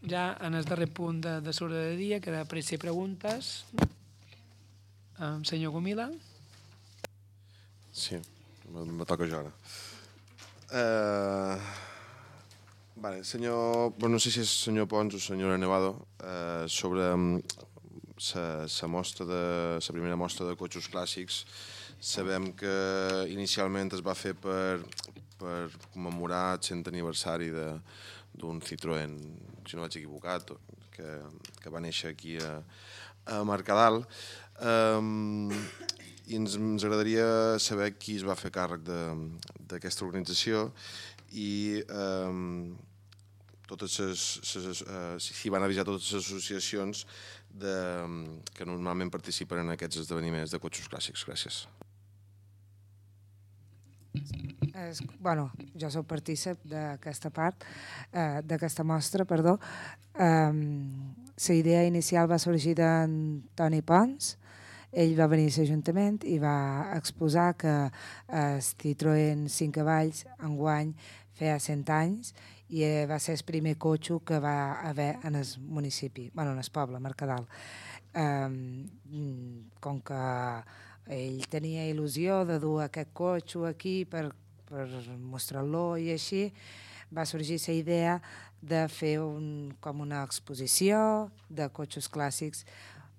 ja en el darrer punt de l'ordre de dia, que de pressa i preguntes. Senyor Gomila. Sí, me toca jo ara. Vale, senyor, no sé si és senyor Pons o senyora Nevado, sobre la mostra la primera mostra de cotxes clàssics. Sabem que inicialment es va fer per commemorar el 100 aniversari d'un Citroën, si no vaig equivocat, que va néixer aquí a Mercadal. I ens agradaria saber qui es va fer càrrec d'aquesta organització i si van avisar totes les associacions que normalment participen en aquests esdeveniments de cotxes clàssics. Gràcies. Jo soc partícip d'aquesta part, d'aquesta mostra, perdó. La idea inicial va sorgir d'en Toni Pons. Ell va venir a l'Ajuntament i va exposar que el Citroën 5 cavalls enguany feia 100 anys i va ser el primer cotxe que va haver en el municipi, en el poble, Mercadal. Com que ell tenia il·lusió de dur aquest cotxe aquí per mostrar-lo i així, va sorgir la idea de fer com una exposició de cotxes clàssics.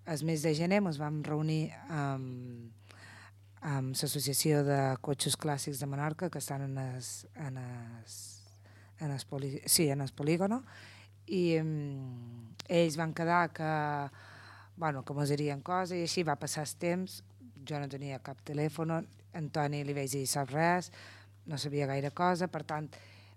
El mes de gener ens vam reunir amb l'Associació de Cotxes Clàssics de Menorca, que estan en el polígono, i ells van quedar que mos dirien coses, i així va passar el temps. Jo no tenia cap telèfon, Antoni li vaig dir sap res, no sabia gaire cosa, per tant,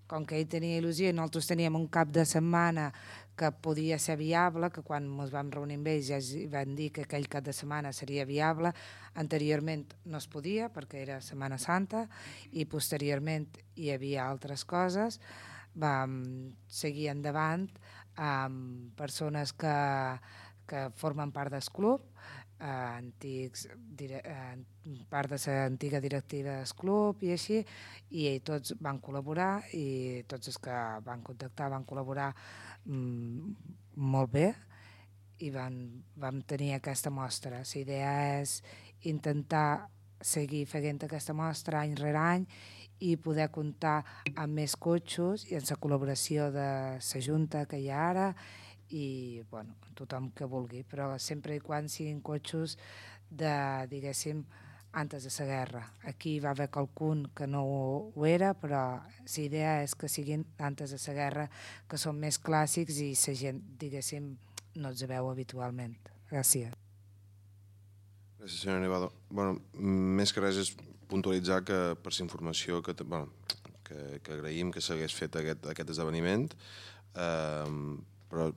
com que ell tenia il·lusió i nosaltres teníem un cap de setmana que podia ser viable, que quan ens vam reunir amb ells ja van dir que aquell cap de setmana seria viable. Anteriorment no es podia perquè era Setmana Santa i posteriorment hi havia altres coses. Vam seguir endavant amb persones que formen part del club, part de l'antiga directiva del club i així, i tots van col·laborar i tots els que van contactar van col·laborar molt bé i vam tenir aquesta mostra. La idea és intentar seguir fent aquesta mostra any rere any i poder comptar amb més cotxes i amb la col·laboració de la Junta que hi ha ara i tothom que vulgui, però sempre i quan siguin cotxes de, diguéssim, antes de la guerra. Aquí va haver qualcun que no ho era, però la idea és que siguin antes de la guerra, que són més clàssics i la gent, diguéssim, no els veu habitualment. Gràcies. Gràcies, senyora Nevado. Més que res és puntualitzar que per la informació que agraïm que s'hagués fet aquest esdeveniment, però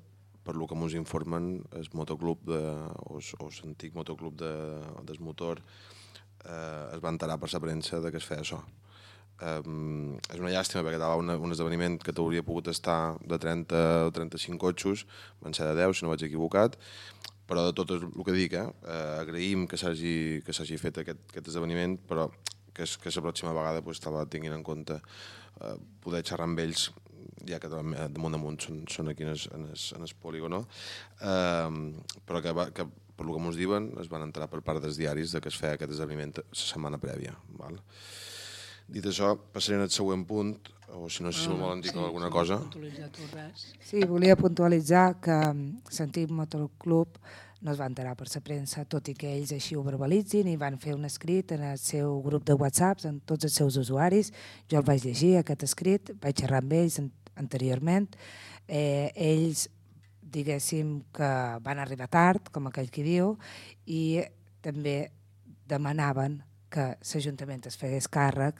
per lo que ens informen el motoclub o l'antic motoclub del motor es va enterar per la premsa que es feia això. És una llàstima perquè estava un esdeveniment que t'hauria pogut estar de 30 o 35 cotxes, van ser de 10 si no vaig equivocat, però de tot el que dic, agraïm que s'hagi fet aquest esdeveniment, però que la pròxima vegada tinguin en compte poder xerrar amb ells, ja que damunt són aquí en el polígono, però que per el que ens diuen es van entrar per part dels diaris que es feia aquest esdeveniment la setmana prèvia. Dit això, passaré al següent punt, o si no sé si volen dir alguna cosa. Sí, volia puntualitzar que l'antic motoclub no es va enterar per la premsa, tot i que ells així ho verbalitzin i van fer un escrit en el seu grup de WhatsApp amb tots els seus usuaris. Jo el vaig llegir, aquest escrit, vaig xerrar amb ells anteriorment. Ells, diguéssim, que van arribar tard, com aquell qui diu, i també demanaven que l'Ajuntament es fegués càrrec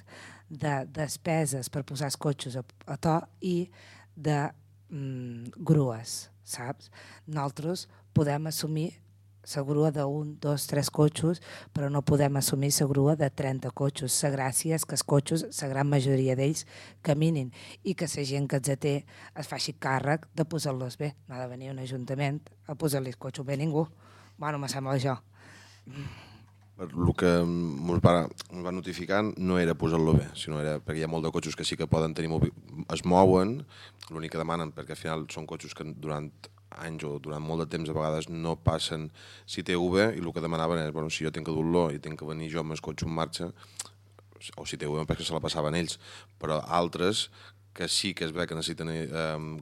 de despeses per posar els cotxes a to i de grues, saps? Nosaltres podem assumir la grua d'1, 2, 3 cotxes, però no podem assumir la grua de 30 cotxes. La gràcia és que els cotxes, la gran majoria d'ells, caminin i que la gent que els té es faci càrrec de posar-los bé. No ha de venir un ajuntament a posar-li el cotxe bé a ningú. Me sembla això. per el que ens va notificar no era posar-lo bé, sinó era perquè hi ha molt de cotxes que sí que poden tenir es mouen, l'únic que demanen, perquè al final són cotxes que durant anys o durant molt de temps a vegades no passen si té UV, i el que demanaven és, bueno, si jo tinc que dur-lo i tinc que venir jo amb el cotxe en marxa, o si té UV perquè se la passaven ells, però altres que sí que es ve que necessiten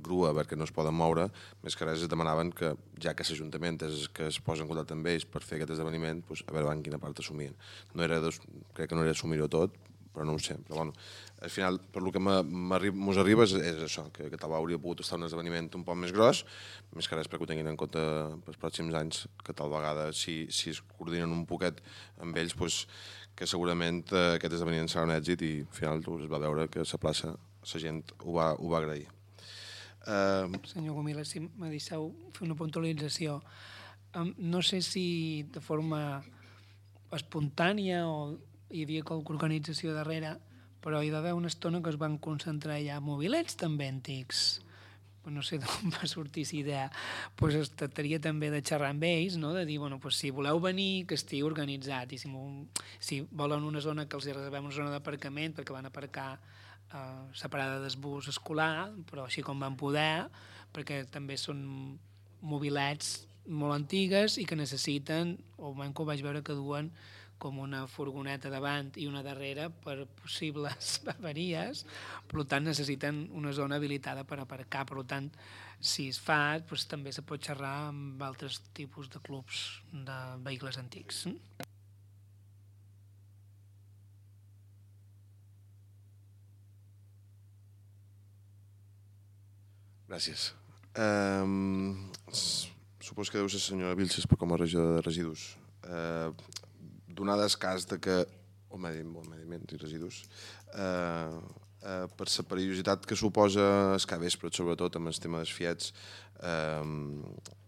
grua perquè no es poden moure, més que res es demanaven que, ja que l'Ajuntament és que es posa en contacte amb ells per fer aquest esdeveniment, doncs, a veure en quina part assumien. Crec que no era assumir-ho tot, però no ho sé. Però bueno, al final, per el que mos arriba és això, que tal hauria pogut estar un esdeveniment un poc més gros, més que res perquè ho tinguin en compte pels pròxims anys, que tal vegada, si es coordinen un poquet amb ells, doncs, que segurament aquest esdeveniment serà un èxit i al final es va veure que la plaça la gent ho va agrair. Senyor Gomila, si me deixeu fer una puntualització. No sé si de forma espontània o hi havia qualque organització darrere, però hi va haver una estona que es van concentrar ja mobilets també antics. No sé d'on va sortir aquesta idea. Pues es tractaria també de xerrar amb ells, no? De dir, bueno, pues si voleu venir, que estigui organitzat, i si volen una zona que els reservem una zona d'aparcament perquè van aparcar separada del bus escolar, però així com van poder, perquè també són mobilets molt antigues i que necessiten, o almenys que ho vaig veure que duen com una furgoneta davant i una darrere per possibles avaries, per tant necessiten una zona habilitada per aparcar, per tant si es fa doncs, també se pot xerrar amb altres tipus de clubs de vehicles antics. Gràcies. Supos que deu ser senyora Vilches com a regidora de residus. Donat el cas de que o medi ambient i residus, per la perillositat que suposa el capvespre, sobretot amb el tema dels fiets,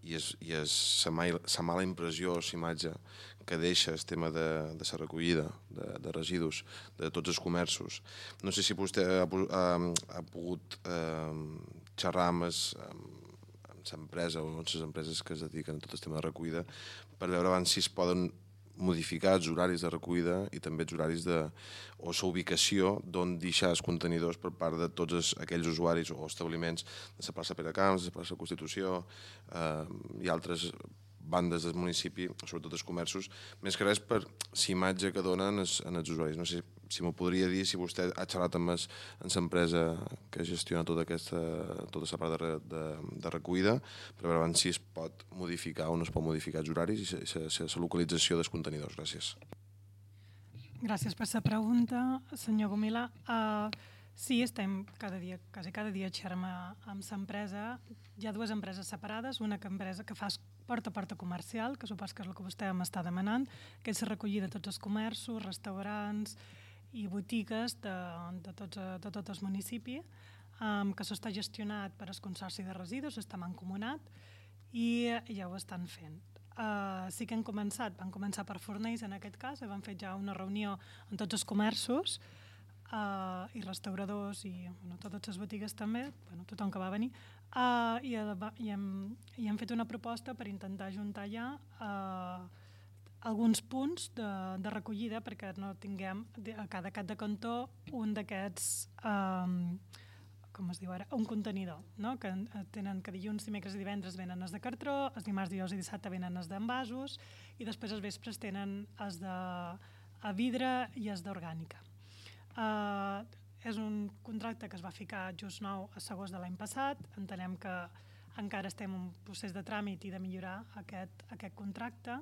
i la mala impressió, la imatge que deixa el tema de la recollida de residus de tots els comerços. No sé si vostè ha pogut xerrar amb l'empresa o amb les empreses que es dediquen a tot el tema de recollida per veure abans si es poden modificar els horaris de recollida i també els horaris o la ubicació d'on deixar els contenidors per part de tots aquells usuaris o establiments de la plaça Peracamps, de la plaça Constitució i altres bandes del municipi, sobretot els comerços, més que res per la imatge que donen els usuaris. No sé si m'ho podria dir, si vostè ha xerrat amb l'empresa que gestiona tota la part de recollida, per veure si es pot modificar o no es pot modificar els horaris i la localització dels contenidors. Gràcies. Gràcies per la pregunta, senyor Gomila. Sí, estem quasi cada dia xerrem amb l'empresa. Hi ha dues empreses separades, una empresa que fa porta a porta comercial, que supos que és el que vostè m'està demanant, que és la recollida de tots els comerços, restaurants i botigues de tot el municipi, que s'està gestionat per al Consorci de Residus, està mancomunat i ja ho estan fent. Sí que van començar per Fornells en aquest cas, van fer ja una reunió amb tots els comerços i restauradors i totes les botigues també, tothom que va venir, i hem fet una proposta per intentar ajuntar ja alguns punts de recollida perquè no tinguem a cada cap de cantó un d'aquests, com es diu ara, un contenidor, no? Que dilluns, dimecres i divendres venen els de cartró, els dimarts, dijous i dissabte venen els d'envasos i després els vespres tenen els de vidre i els d'orgànica. És un contracte que es va ficar just nou a l'agost de l'any passat. Entenem que encara estem en un procés de tràmit i de millorar aquest contracte.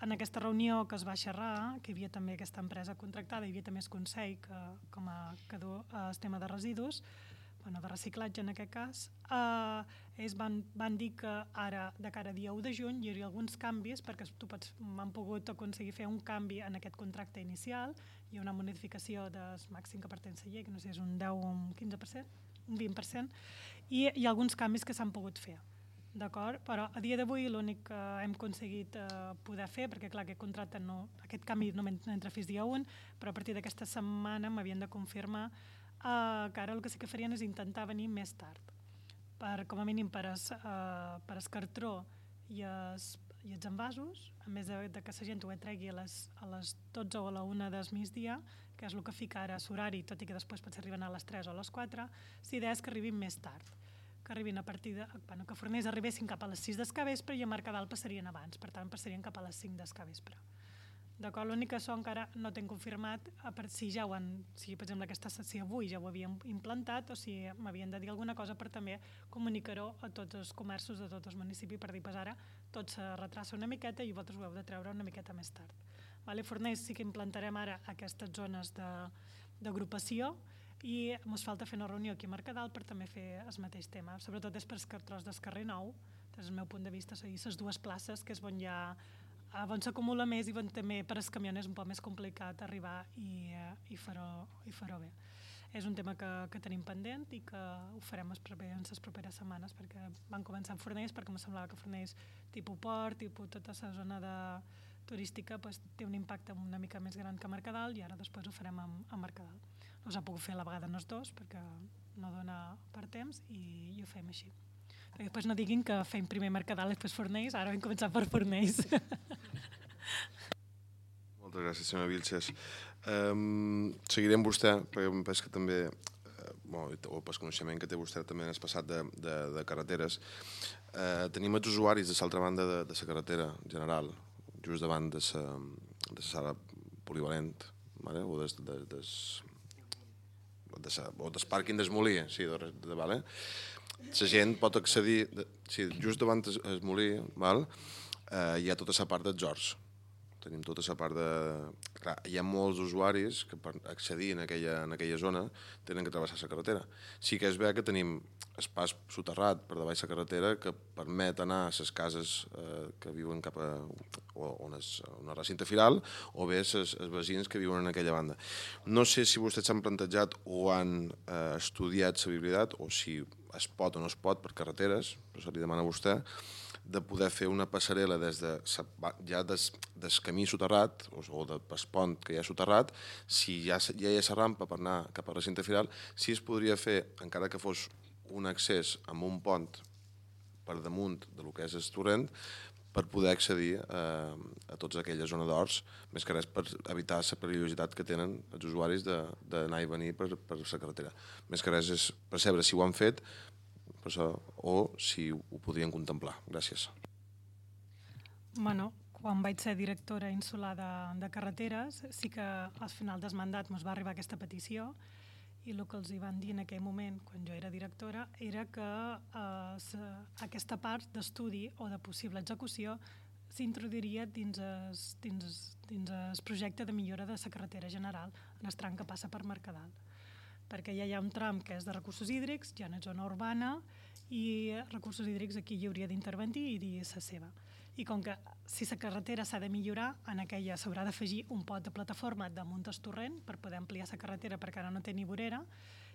En aquesta reunió que es va xerrar, que hi havia també aquesta empresa contractada, hi havia també el Consell que du el tema de residus, de reciclatge en aquest cas, ells van dir que ara, de cara a dia 1 de juny, hi hauria alguns canvis perquè m'han pogut aconseguir fer un canvi en aquest contracte inicial. Hi ha una modificació del màxim que pretén la llei, que no sé si és un 10 o un 15%, un 20%, i hi ha alguns canvis que s'han pogut fer. D'acord? Però a dia d'avui l'únic que hem aconseguit poder fer, perquè clar, aquest canvi no entra fins dia 1, però a partir d'aquesta setmana m'havien de confirmar que ara el que sí que farien és intentar venir més tard, com a mínim per el cartró i i els envasos, a més de que la gent ho tregui a les 12 o a la 1 del migdia, que és el que fica ara l'horari, tot i que després potser arriben a les 3 o a les 4, la idea és que arribin més tard, que arribin a partir de... Bueno, que Fornells arribessin cap a les 6 del capvespre i a Mercadal passarien abans, per tant passarien cap a les 5 del capvespre. D'acord? L'únic que això encara no t'hem confirmat si ja ho han... Si, per exemple, si avui ja ho havien implantat o si m'havien de dir alguna cosa per també comunicar-ho a tots els comerços de tots els municipis per dir, pues ara tot se retrassa una miqueta i vosaltres ho heu de treure una miqueta més tard. Vale? Fornells sí que implantarem ara aquestes zones d'agrupació i ens falta fer una reunió aquí a Mercadal per també fer el mateix tema. Sobretot és per el tros del carrer Nou, des del meu punt de vista, les dues places que és on ja on s'acumula més i on també per als camions és un poc més complicat arribar i fer-ho bé. És un tema que tenim pendent i que ho farem en les properes setmanes perquè van començar amb Fornells perquè em semblava que Fornells tipus port, tipus tota la zona turística té un impacte una mica més gran que Mercadal i ara després ho farem a Mercadal. No s'ha pogut fer a la vegada en els dos perquè no dona per temps i ho fem així. Perquè després no diguin que fem primer Mercadal i després Fornells, ara vam començar per Fornells. Moltes gràcies, senyora Vilches. Seguiré amb vostè, perquè em penso que també, o pel coneixement que té vostè també en el passat de carreteres, tenim els usuaris de l'altra banda de la carretera general, just davant de la sala polivalent, o del pàrquing del Molí, sí, vale? La gent pot accedir, just davant del Molí, hi ha tota la part dels horts. Tenim tota la part de... Clar, hi ha molts usuaris que per accedir en aquella zona tenen que travessar la carretera. Sí que és bé que tenim pas soterrat per davall la carretera que permet anar a les cases que viuen cap a una recinte firal o bé els veïns que viuen en aquella banda. No sé si vostès s'han plantejat o han estudiat la viabilitat o si es pot o no es pot per carreteres, però se li demana a vostè, de poder fer una passarel·la ja del camí soterrat o del pont que hi ha soterrat, si ja hi ha la rampa per anar cap a la recinte firal, si es podria fer, encara que fos un accés amb un pont per damunt del que és el torrent, per poder accedir a tota aquella zona d'horts, més que res per evitar la perillositat que tenen els usuaris d'anar i venir per la carretera. Més que res és percebre si ho han fet o si ho podrien contemplar. Gràcies. Bueno, quan vaig ser directora insular de carreteres, sí que al final del mandat ens va arribar aquesta petició i el que els hi van dir en aquell moment, quan jo era directora, era que aquesta part d'estudi o de possible execució s'introduiria dins el projecte de millora de la carretera general en el tram que passa per Mercadal. Perquè ja hi ha un tram que és de recursos hídrics, ja en zona urbana, i recursos hídrics aquí hi hauria d'intervenir i dir la seva. I com que si la carretera s'ha de millorar, en aquella s'haurà d'afegir un pot de plataforma damunt del torrent per poder ampliar la carretera perquè ara no té ni vorera,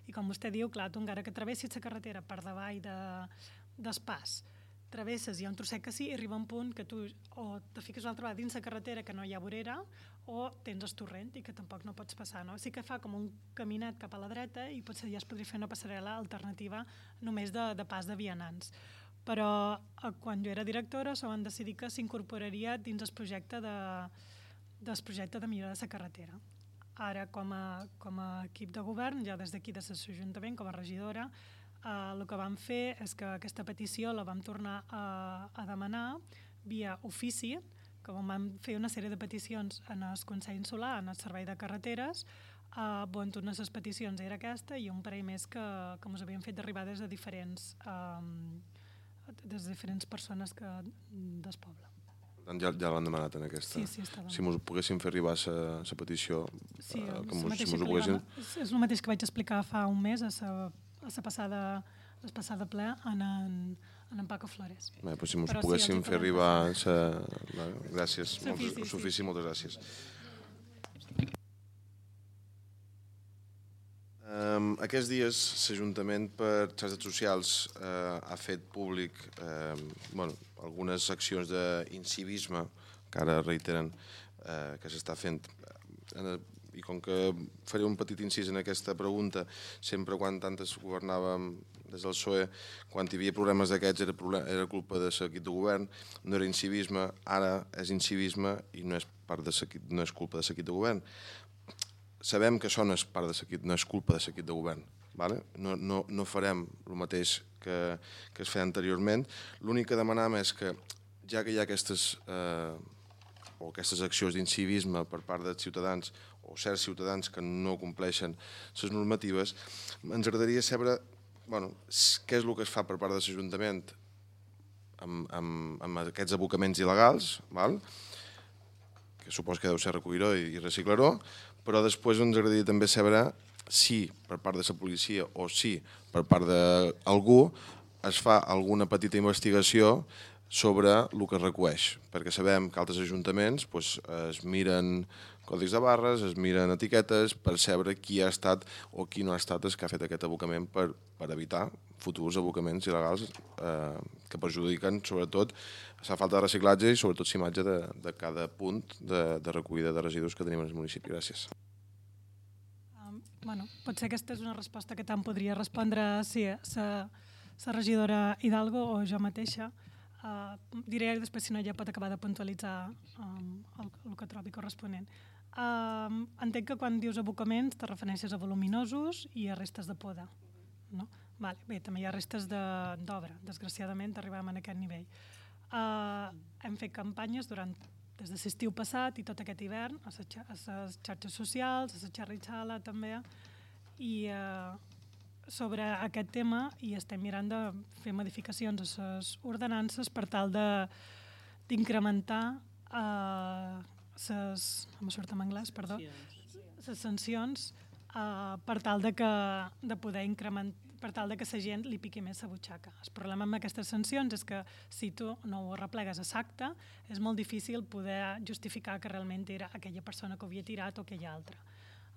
i com vostè diu, clar, tu encara que travessis la carretera per davall del pas, travesses, hi ha un trosset que sí, i arriba un punt que tu o te fiques una altra vegada dins la carretera que no hi ha vorera o tens el torrent i que tampoc no pots passar. No? Sí que fa com un caminet cap a la dreta i potser ja es podria fer una passarel·la alternativa només de pas de vianants. Però quan jo era directora s'ho van decidir que s'incorporaria dins el projecte de millora de la carretera. Ara, com a equip de govern, ja des d'aquí de l'Ajuntament, com a regidora, el que vam fer és que aquesta petició la vam tornar a demanar via ofici, que vam fer una sèrie de peticions en el Consell Insular, en el Servei de Carreteres, on una de les peticions era aquesta i un parell més que ens havien fet arribar des de diferents persones del poble. Ja l'han demanat en aquesta. Sí, està demanat. Si ens poguéssim fer arribar la petició, sí, que ens ho poguessin... És el mateix que vaig explicar fa un mes a la passada ple en en Paco Flores. Bé, doncs si ens poguéssim fer arribar... Gràcies, Sofici, moltes gràcies. Aquests dies l'Ajuntament per xarxes socials ha fet públic algunes accions d'incivisme que ara reiteren que s'està fent. i com que faré un petit incís en aquesta pregunta, sempre quan tantes governàvem des del PSOE, quan hi havia problemes d'aquests era culpa de l'equip de govern, no era incivisme, ara és incivisme i no és culpa de l'equip de govern. Sabem que això no és culpa de l'equip de govern. No farem el mateix que es feia anteriorment. L'únic que demanam és que, ja que hi ha aquestes accions d'incivisme per part dels ciutadans o certs ciutadans que no compleixen les normatives, ens agradaria saber què és el que es fa per part de l'Ajuntament amb aquests abocaments il·legals, que supos que deu ser recollir-ho i reciclar-ho, però després ens agradaria també saber si per part de la policia o si per part d'algú es fa alguna petita investigació sobre el que es recueix, perquè sabem que altres ajuntaments es miren codis de barres, es miren etiquetes per saber qui ha estat o qui no ha estat el que ha fet aquest abocament per evitar futurs abocaments il·legals que perjudiquen sobretot la falta de reciclatge i sobretot l'imatge de cada punt de recollida de residus que tenim en el municipi. Gràcies. Potser aquesta és una resposta que tant podria respondre la regidora Hidalgo o jo mateixa. Diré després, si no, ja pot acabar de puntualitzar el que trobi corresponent. Entenc que quan dius abocaments te refereixes a voluminosos i a restes de poda. Bé, també hi ha restes d'obra. Desgraciadament arribem a aquest nivell. Hem fet campanyes des de l'estiu passat i tot aquest hivern a les xarxes socials, a la xerritxala també, i sobre aquest tema i estem mirant de fer modificacions a les ordenances per tal d'incrementar les sancions per tal de poder incrementar, per tal que la gent li piqui més la butxaca. El problema amb aquestes sancions és que si tu no ho arreplegues a l'acte és molt difícil poder justificar que realment era aquella persona que ho havia tirat o aquella altra.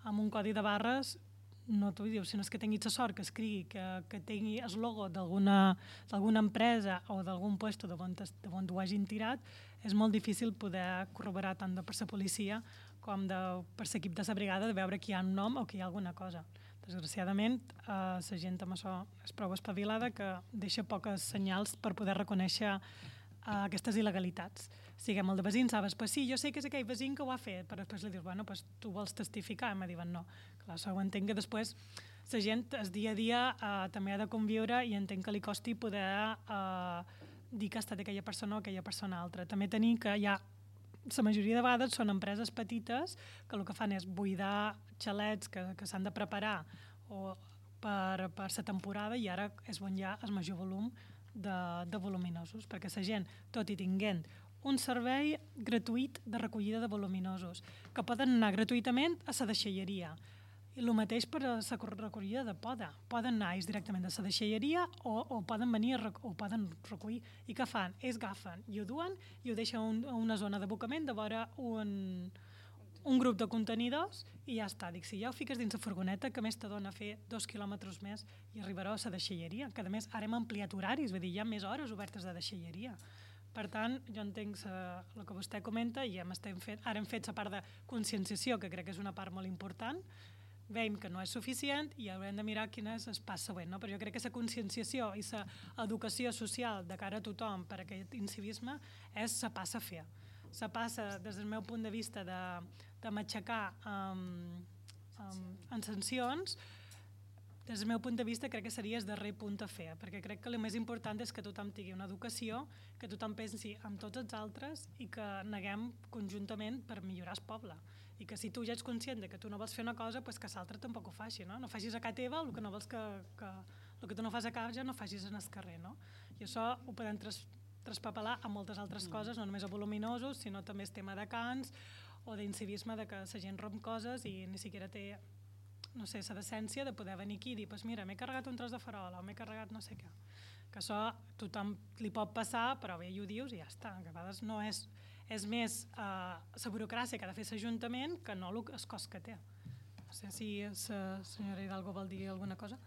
Amb un codi de barres no t'ho diu, sinó que tinguis la sort que escrigui, que tingui el logo d'alguna empresa o d'algun lloc d'on ho hagin tirat, és molt difícil poder corroborar tant per la policia com per l'equip de la brigada de veure que hi ha un nom o que hi ha alguna cosa. Desgraciadament, la gent amb això és prou espavilada que deixa poques senyals per poder reconèixer aquestes il·legalitats. Siguem el de veïns, sabes, sí, jo sé que és aquell veïn que ho ha fet, però després li dius, tu vols testificar? I em diuen no. Clar, això ho entenc que després la gent el dia a dia també ha de conviure i entenc que li costi poder dir que ha estat aquella persona o aquella persona altra. També tenir que hi ha, la majoria de vegades són empreses petites que el que fan és buidar xalets que s'han de preparar per la temporada i ara és on hi ha el major volum de voluminosos, perquè la gent, tot i tinguent un servei gratuït de recollida de voluminosos, que poden anar gratuïtament a la deixalleria. I el mateix per a la recollida de poda. Poden anar ells directament a la deixalleria o poden venir o poden recollir. I què fan? Ells agafen i ho duen i ho deixen a una zona d'abocament de vora un grup de contenidors i ja està. Dic, si ja ho fiques dins la furgoneta, que més te dona fer 2 quilòmetres més i arribarà a la deixalleria, que a més ara hem ampliat horaris, vull dir, hi ha més hores obertes de deixalleria. Per tant, jo entenc el que vostè comenta i ara hem fet la part de conscienciació, que crec que és una part molt important. Veiem que no és suficient i haurem de mirar quin és el pas següent. Però jo crec que la conscienciació i l'educació social de cara a tothom per a aquest incivisme és la passa a fer. La passa, des del meu punt de vista, de matxacar en sancions, des del meu punt de vista crec que seria el darrer punt a fer, perquè crec que el més important és que tothom tingui una educació, que tothom pensi en tots els altres i que neguem conjuntament per millorar el poble. I que si tu ja ets conscient que tu no vols fer una cosa, que l'altre tampoc ho faci. No facis a casa teva el que no vols el que tu no fas a casa no facis en el carrer. I això ho podem traspapelar a moltes altres coses, no només a voluminosos, sinó també el tema de cants o d'incivisme, que la gent romp coses i ni siquiera té la decència de poder venir aquí i dir mira, m'he carregat un tros de farola o m'he carregat no sé què. Que això tothom li pot passar, però bé, ho dius i ja està. Que a vegades no és més la burocràcia que ha de fer l'Ajuntament que no el cost que té. No sé si la senyora Hidalgo vol dir alguna cosa.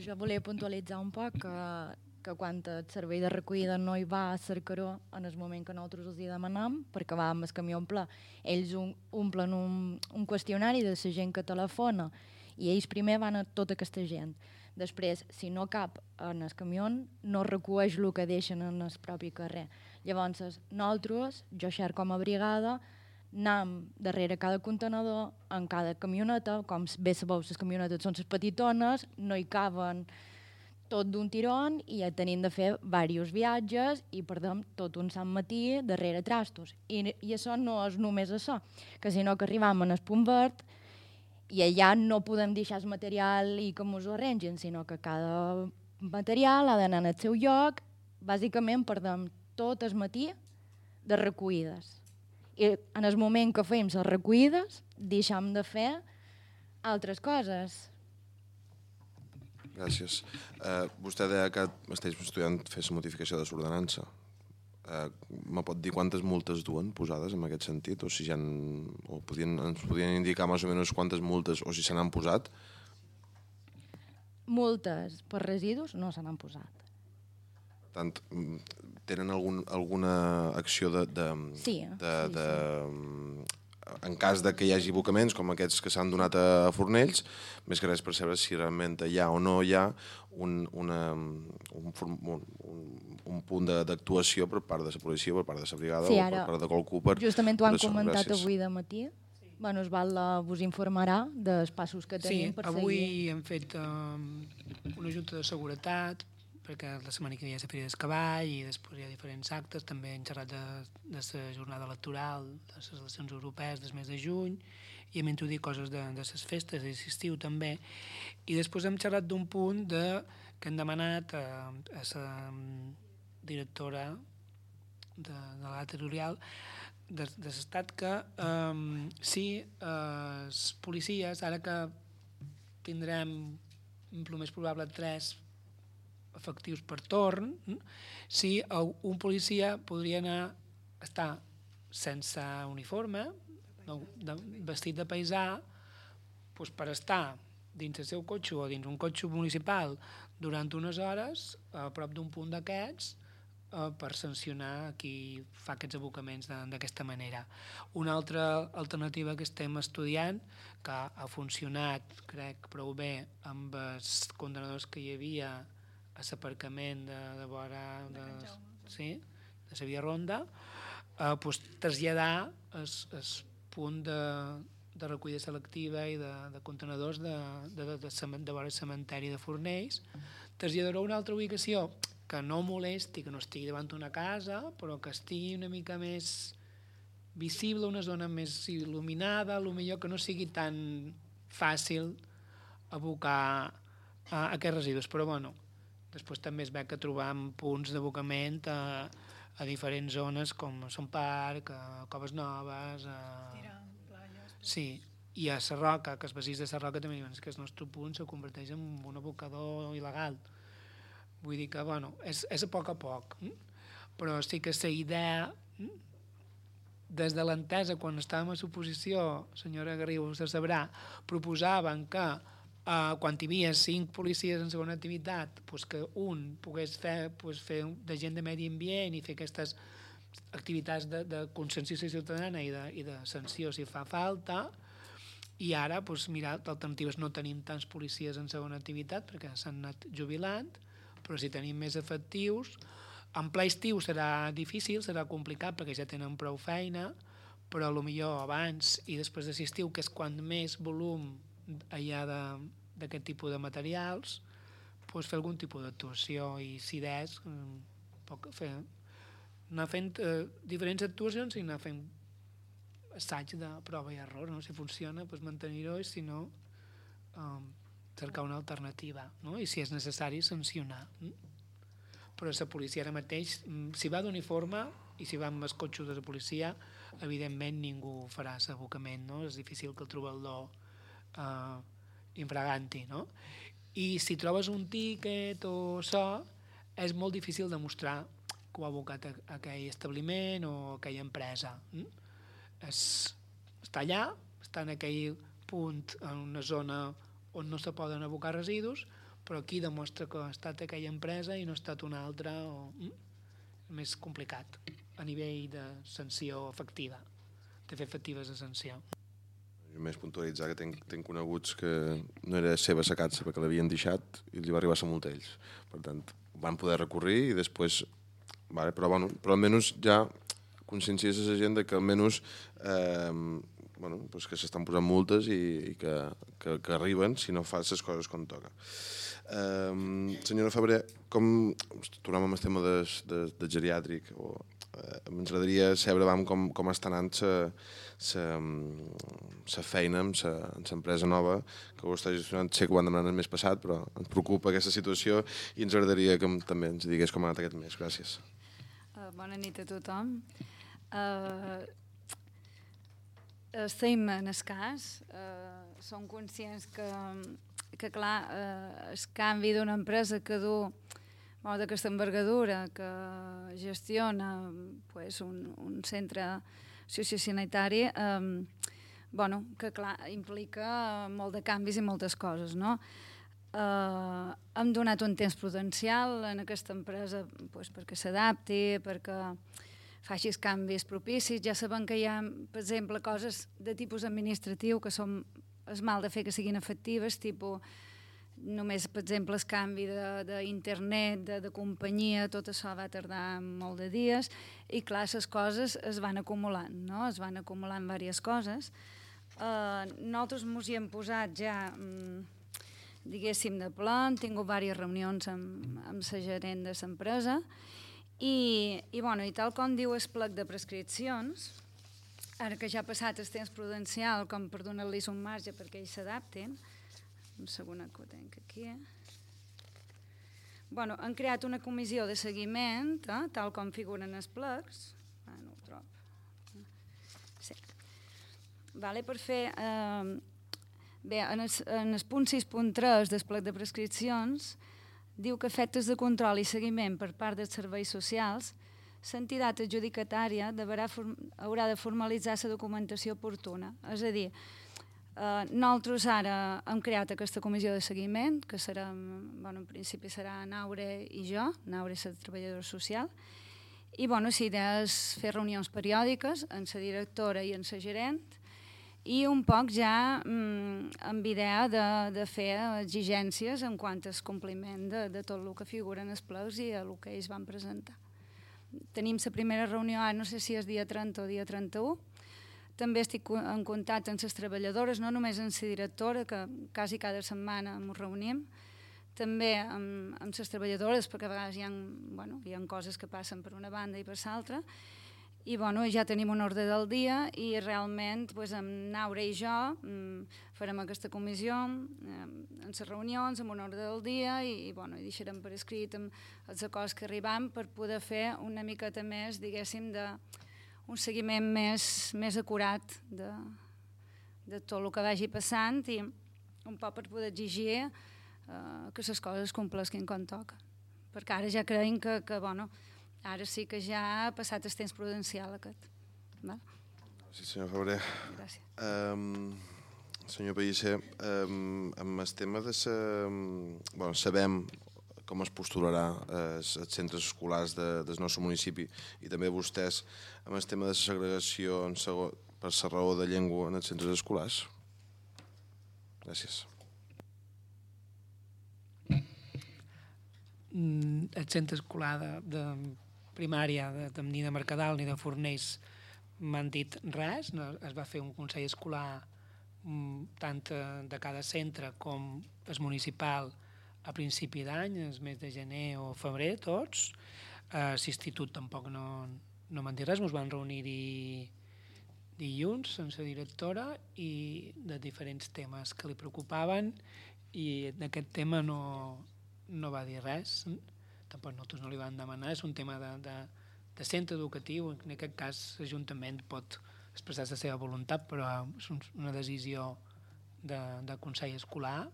Jo volia puntualitzar un poc que que quan el servei de recollida no hi va a cercar-ho en el moment que nosaltres els hi demanam, perquè va amb el camió ple, ells omplen un qüestionari de la gent que telefona i ells primer van a tota aquesta gent. Després, si no cap en el camió, no recueix el que deixen en el propi carrer. Llavors, nosaltres, jo xer com a brigada, anam darrere cada contenedor, en cada camioneta, com bé sabeu, les camionetes són les petitones, no hi caben tot d'un tirón i ja tenim de fer diversos viatges i perdem tot un sant matí darrere trastos. I això no és només això, que sinó que arribam en el punt verd i allà no podem deixar el material i que ens ho arrengin, sinó que cada material ha d'anar al seu lloc. Bàsicament perdem tot el matí de recollides. I en el moment que fem les recollides deixem de fer altres coses. Gràcies. Vostè deia que esteu estudiant fer la modificació de l'ordenança. Me pot dir quantes multes duen posades en aquest sentit? O si ja ens podien indicar més o menys quantes multes, o si se n'han posat? Multes per residus no se n'han posat. Tant, tenen alguna acció Sí. En cas de que hi hagi abocaments com aquests que s'han donat a Fornells, més que res per saber si realment hi ha o no hi ha un punt d'actuació per part de la policia, per part de la brigada o per part de qualcú. Justament ho han comentat avui de matí. Bueno, es vos informarà dels passos que tenim per seguir. Sí, avui hem fet una junta de seguretat, perquè la setmana que ve hi ha la Fira del Cavall i després hi ha diferents actes, també hem xerrat de la jornada electoral, de les eleccions europees del mes de juny, i hem introduït coses de les festes, de l'estiu també, i després hem xerrat d'un punt que hem demanat a la directora de l'Alt Territorial de l'Estat que si els policies, ara que tindrem el més probable 3 efectius per torn, si un policia podria estar sense uniforme, vestit de paisà, per estar dins el seu cotxe o dins un cotxe municipal durant unes hores a prop d'un punt d'aquests per sancionar qui fa aquests abocaments d'aquesta manera. Una altra alternativa que estem estudiant, que ha funcionat, crec, prou bé amb els contenidors que hi havia a l'aparcament de vora de la via Ronda, traslladar el punt de recollida selectiva i de contenidors de vora el cementeri de Fornells, traslladar-ho a una altra ubicació que no molesti, que no estigui davant d'una casa, però que estigui una mica més visible, una zona més il·luminada, potser que no sigui tan fàcil abocar aquests residus. Però bueno, després també es veu que trobam punts d'abocament a diferents zones com Son Parc, a Coves Noves... Sí, i a Sarroca, que els veïns de Sarroca també diuen que el nostre punt se converteix en un abocador il·legal. Vull dir que, bueno, és a poc, però sí que la idea, des de l'entesa, quan estàvem a l'oposició, senyora Garriga, vostè sabrà, proposaven que quan hi havia 5 policies en segona activitat, que un pogués fer d'agent de medi ambient i fer aquestes activitats de conscienciació ciutadana i de sanció si fa falta, i ara, mira, d'alternatives no tenim tants policies en segona activitat perquè s'han anat jubilant, però si tenim més efectius, en ple estiu serà difícil, serà complicat perquè ja tenen prou feina, però potser abans i després de l'estiu, que és quan més volum hi ha d'aquest tipus de materials, fer algun tipus d'actuació i si des, anar fent diferents actuacions i anar fent assaig de prova i error, si funciona, mantenir-ho, i si no, cercar una alternativa, i si és necessari sancionar. Però la policia ara mateix, si va d'uniforme i si va amb els cotxes de la policia, evidentment ningú farà l'abocament, és difícil que el trobador infraganti, i si trobes un tíquet o això, és molt difícil demostrar que ho ha abocat aquell establiment o aquella empresa. Està allà, està en aquell punt, en una zona on no se poden abocar residus, però aquí demostra que ha estat aquella empresa i no ha estat una altra, o més complicat a nivell de sanció efectiva, de fer efectives de sanció. Jo més puntualitzar que tenc coneguts que no era seva la catxa perquè l'havien deixat i li va arribar la multa a ells. Per tant, van poder recórrer i després... Vale, però almenys ja conscienciés a la gent que almenys que s'estan posant multes i que arriben si no fas les coses com toca. Senyora Febrer, tornem al tema de geriàtric, ens agradaria saber com està anant la feina amb l'empresa nova que ho està gestionant. Sé que ho han demanat el mes passat, però ens preocupa aquesta situació i ens agradaria que també ens digués com ha anat aquest mes. Gràcies. Bona nit a tothom. Estem en el cas. Som conscients que clar, el canvi d'una empresa que du d'aquesta envergadura, que gestiona un centre sociosanitari, que clar, implica molt de canvis i moltes coses, no? Hem donat un temps prudencial en aquesta empresa perquè s'adapti, perquè faci els canvis propicis. Ja sabem que hi ha, per exemple, coses de tipus administratiu que són el mal de fer que siguin efectives, tipus només, per exemple, el canvi d'internet, de companyia, tot això va tardar molt de dies i, clar, les coses es van acumulant, no? Es van acumulant diverses coses. Nosaltres ens hi hem posat ja, diguéssim, de pla, hem tingut diverses reunions amb la gerent de l'empresa i tal com diu el plec de prescripcions, ara que ja ha passat el temps prudencial com per donar-los un marge perquè ells s'adaptin, un segon que ho tenc aquí, han creat una comissió de seguiment, tal com figuren els plecs, no ho trobo, sí, per fer... Bé, en el punt 6.3 del plec de prescripcions diu que efectes de control i seguiment per part dels serveis socials, l'entitat adjudicatària haurà de formalitzar la documentació oportuna. És a dir, nosaltres ara hem creat aquesta comissió de seguiment, que serà, en principi serà Naure i jo, Naure és la treballadora social, i la idea és fer reunions periòdiques amb la directora i amb la gerent, i un poc ja amb idea de fer exigències en quant al compliment de tot el que figura en els plecs i el que ells van presentar. Tenim la primera reunió, no sé si és dia 30 o dia 31. També estic en contacte amb les treballadores, no només amb la directora, que quasi cada setmana ens reunim, també amb les treballadores, perquè a vegades hi ha coses que passen per una banda i per l'altra, i ja tenim un ordre del dia i realment amb Naure i jo farem aquesta comissió en les reunions, amb un ordre del dia i deixarem per escrit els acords que arribam per poder fer una miqueta més, diguéssim, un seguiment més acurat de tot el que vagi passant i un poc per poder exigir que les coses es compleixin com toca. Perquè ara ja creiem que ara sí que ja ha passat el temps prudencial aquest. Sí, senyor Febrer. Gràcies. Senyor Pellicer, amb el tema de sabem com es postularà els centres escolars del nostre municipi i també vostès amb el tema de la segregació per la raó de llengua en els centres escolars. Gràcies. El centre escolar de primària, ni de Mercadal ni de Fornells m'han dit res. Es va fer un consell escolar tant de cada centre com el municipal a principi d'any, el mes de gener o febrer, tots. L'institut tampoc no m'han dit res, ens van reunir dilluns amb la directora i de diferents temes que li preocupaven i d'aquest tema no va dir res. Tampoc nosaltres no li vam demanar, és un tema de centre educatiu, en aquest cas l'Ajuntament pot expressar la seva voluntat, però és una decisió de Consell Escolar,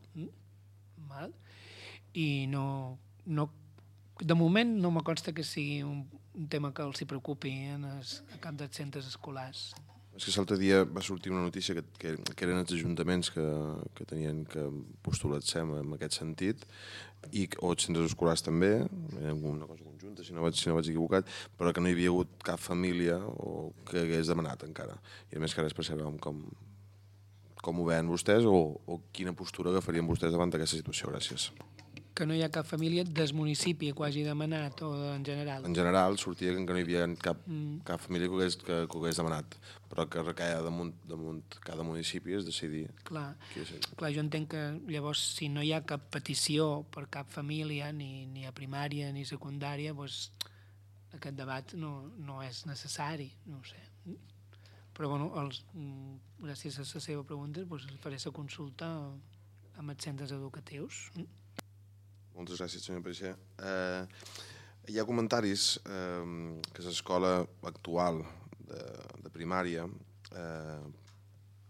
i de moment no me consta que sigui un tema que els preocupi a cap dels centres escolars. és que l'altre dia va sortir una notícia que eren els ajuntaments que tenien que postular-se en aquest sentit, o els centres escolars també, era una cosa conjunta, si no vaig equivocat, però que no hi havia hagut cap família que hagués demanat encara. I a més que res per saber com ho veuen vostès o quina postura agafarien vostès davant d'aquesta situació. Gràcies. Que no hi ha cap família del municipi que ho hagi demanat o en general? En general sortia que no hi havia cap família que ho hagués demanat, però que recaia damunt cada municipi és decidir. Clar, jo entenc que llavors si no hi ha cap petició per cap família, ni a primària ni secundària, doncs aquest debat no és necessari, no ho sé. Però bueno, gràcies a la seva pregunta faré la consulta amb els centres educatius. Moltes gràcies, senyor Peixer. Hi ha comentaris que l'escola actual de primària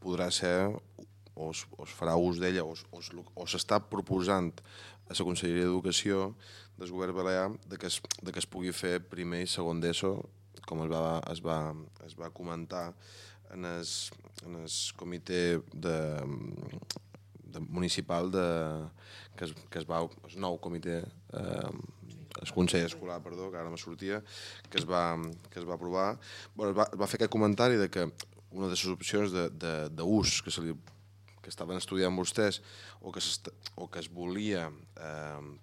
podrà ser, o es farà ús d'ella, o s'està proposant a la Conselleria d'Educació del Govern Balear que es pugui fer primer i segon d'ESO, com es va comentar en el comitè municipal el nou comitè, el Consell Escolar, perdó, que ara me sortia, que es va aprovar. Es va fer aquest comentari de que una de les opcions d'ús que estaven estudiant vostès o que es volia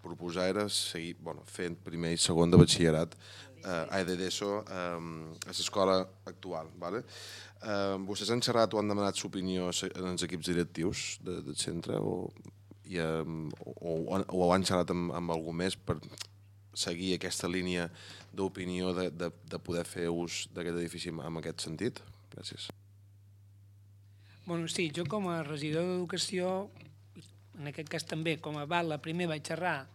proposar era seguir fent primer i segon de batxillerat d'ESO a l'escola actual. Vostès han xerrat o han demanat l'opinió en els equips directius del centre o han xerrat amb algú més per seguir aquesta línia d'opinió de poder fer ús d'aquest edifici en aquest sentit? Gràcies. Sí, jo com a regidor d'Educació, en aquest cas també com a Bala, primer vaig xerrar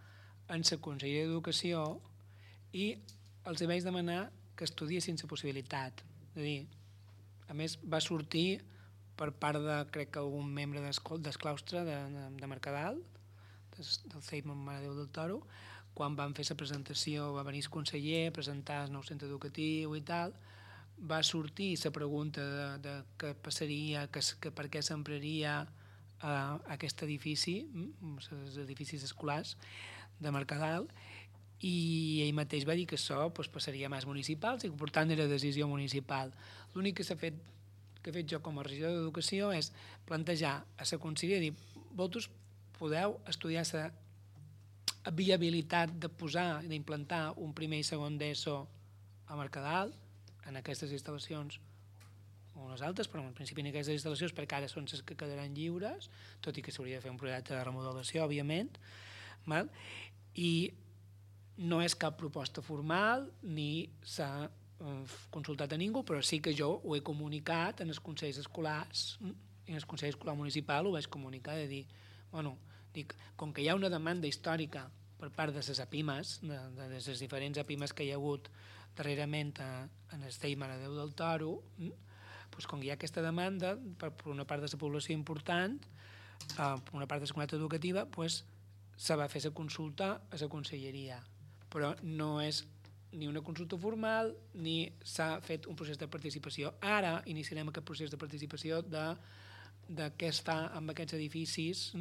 en la Conselleria d'Educació i els vaig demanar que estudiessin la possibilitat. És a dir, a més va sortir per part de, crec que algun membre del claustre de Mercadal, del CEIP Mare de Déu del Toro, quan van fer la presentació, va venir el conseller a presentar el nou centre educatiu i tal, va sortir la pregunta de què passaria, per què s'empraria aquest edifici, els edificis escolars de Mercadal, i ell mateix va dir que això passaria a mans municipals i que per tant era decisió municipal. L'únic que he fet jo com a regidor d'Educació és plantejar a la conselleria, dir, vosaltres podeu estudiar la viabilitat de posar, d'implantar un primer i segon d'ESO a Mercadal, en aquestes instal·lacions o unes altres, però en principi en aquestes instal·lacions perquè ara són les que quedaran lliures, tot i que s'hauria de fer un projecte de remodelació, òbviament, i no és cap proposta formal ni s'ha consultat a ningú, però sí que jo ho he comunicat en els consells escolars, i en el Consell Escolar Municipal ho vaig comunicar, de dir, dic, com que hi ha una demanda històrica per part de les APIMES, de les diferents APIMES que hi ha hagut darrerament en el CEIP Mare de Déu del Toro, com que hi ha aquesta demanda per una part de la població important, per una part de la comunitat educativa, se va fer la consulta a la conselleria. Però no és ni una consulta formal ni s'ha fet un procés de participació. Ara iniciarem aquest procés de participació de què es fa amb aquests edificis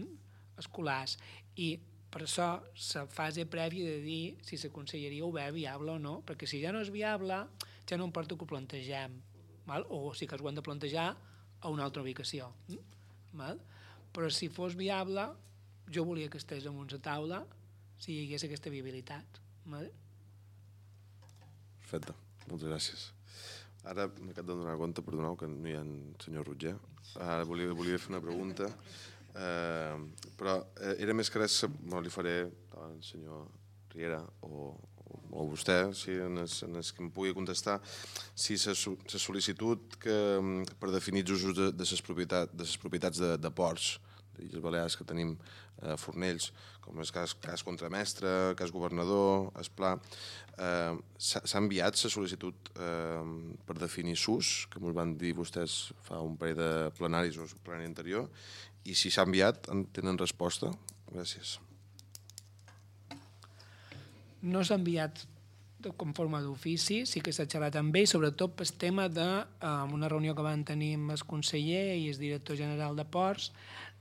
escolars i per això la fase prèvia de dir si la conselleria ho veu viable o no, perquè si ja no és viable ja no importa que ho plantegem, o sí que ho hem de plantejar a una altra ubicació. Però si fos viable, jo volia que estigués damunt la taula si hi hagués aquesta viabilitat. Perfecte, moltes gràcies. Ara m'acabo de donar compte, perdoneu, que no hi ha el senyor Roger. Ara volia fer una pregunta, però era més que res, li faré al senyor Riera o vostè, si en el que em pugui contestar, si la sol·licitud per definir els usos de les propietats de ports d'Illes Balears que tenim a Fornells, com és cas contramestre, cas governador, Esplà, s'ha enviat la sol·licitud per definir SUS, que ens van dir vostès fa un parell de plenaris o plenari anterior, i si s'ha enviat, tenen resposta? Gràcies. No s'ha enviat com forma d'ofici, sí que s'ha xerrat amb ell, sobretot pel tema d'una reunió que van tenir amb el conseller i el director general de Ports,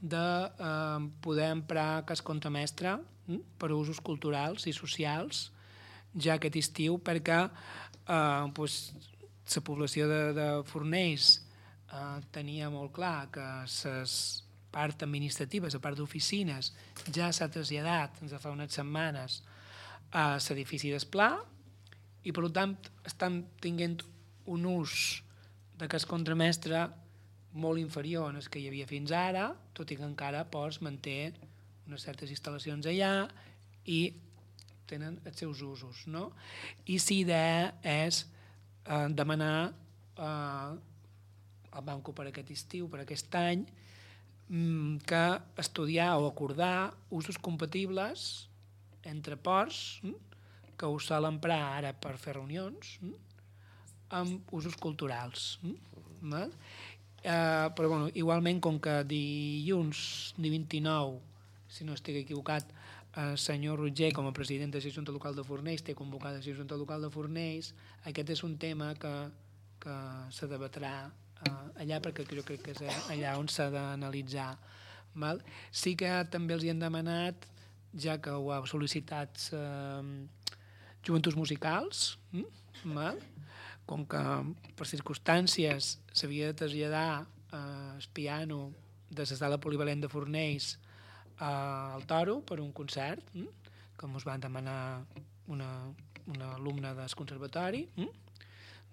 de poder emprar cas contramestre per a usos culturals i socials ja aquest estiu, perquè la població de Fornells tenia molt clar que la part administrativa, la part d'oficines, ja s'ha traslladat des de fa unes setmanes a l'edifici d'Esplà, i per tant estan tinguent un ús d'aquest contramestre molt inferior al que hi havia fins ara, tot i que encara manté unes certes instal·lacions allà i tenen els seus usos. No? I la idea és demanar al banco per aquest estiu, per aquest any, que estudiar o acordar usos compatibles entre ports, que ho sol emprar ara per fer reunions, amb usos culturals. Però bueno, igualment, com que dilluns, dia 29, si no estic equivocat, el senyor Roger, com a president de la Junta Local de Fornells, té convocada la Junta Local de Fornells, aquest és un tema que se debatrà allà, perquè jo crec que és allà on s'ha d'analitzar. Sí que també els hi han demanat, ja que ho ha sol·licitat Joventuts Musicals, com que per circumstàncies s'havia de traslladar el piano de la sala polivalent de Fornells al Toro per un concert, com us van demanar una alumna del conservatori,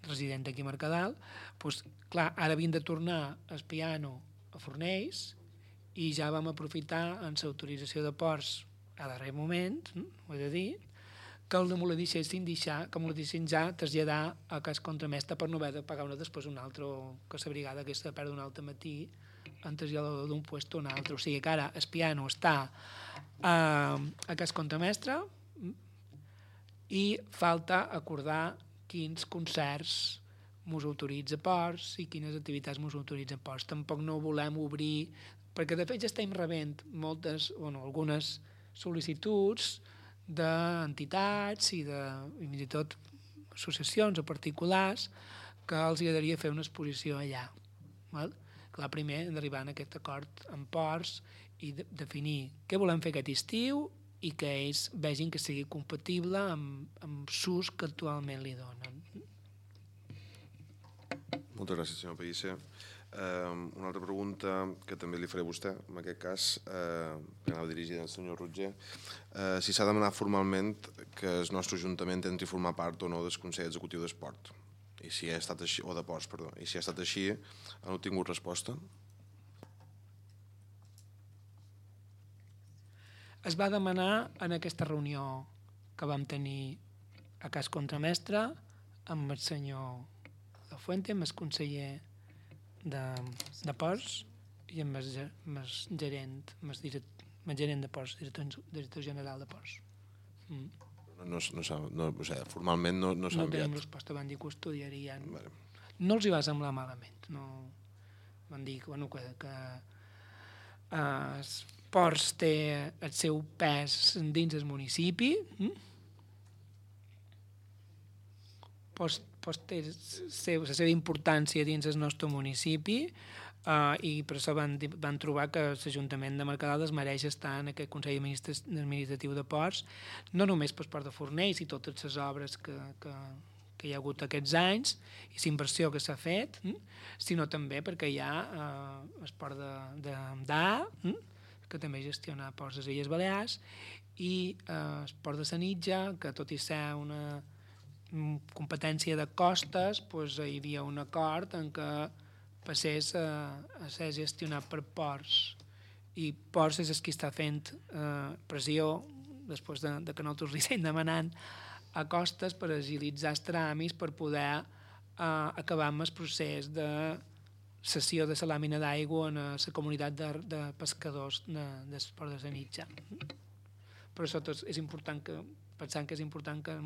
resident d'aquí a Mercadal. Doncs, clar, ara havien de tornar el piano a Fornells i ja vam aprofitar en l'autorització de Ports a darrer moment, ho he de dir, que me la deixessin ja traslladar a cas contramestre per no haver de pagar després un altre, que la brigada aquesta de perdre un altre matí en traslladador d'un lloc a un altre. O sigui que ara el piano està a cas contramestre i falta acordar quins concerts mos autoritza Ports i quines activitats mos autoritzen Ports. Tampoc no volem obrir, perquè de fet ja estem rebent algunes sol·licituds d'entitats i fins i tot associacions o particulars que els agradaria fer una exposició allà. Clar, primer hem d'arribar a aquest acord amb Ports i definir què volem fer aquest estiu i que ells vegin que sigui compatible amb l'ús que actualment li donen. Moltes gràcies, senyor Pellicer. Una altra pregunta que també li faré a vostè, en aquest cas, que anava dirigida al senyor Roger, si s'ha demanat formalment que el nostre Ajuntament entri a formar part o no del Consell Executiu d'Esport, i si ha estat així, o de Ports, perdó, i si ha estat així, han obtingut resposta? Es va demanar en aquesta reunió que vam tenir a cas contramestre amb el senyor La Fuente, amb el conseller de Ports i amb el gerent de Ports, director general de Ports. Formalment no s'ha enviat. No tenim resposta, van dir que ho estudiarien. No els hi va semblar malament. Van dir que Ports té el seu pes dins el municipi, Ports té la seva importància dins el nostre municipi i per això van trobar que l'Ajuntament de Mercadal es mereix estar en aquest Consell Administratiu de Ports, no només pel Port de Fornells i totes les obres que hi ha hagut aquests anys i la inversió que s'ha fet, sinó també perquè hi ha el Port d'A, que també gestiona Ports de les Illes Balears, i el Port de Sanitja, que tot i ser una competència de costes, hi havia un acord en què passés a ser gestionat per Ports, i Ports és el que està fent pressió després de que nosaltres li estem demanant a costes per agilitzar els tràmits per poder acabar amb el procés de cessió de la làmina d'aigua en la comunitat de pescadors del Port de Sanitja. Per això és important que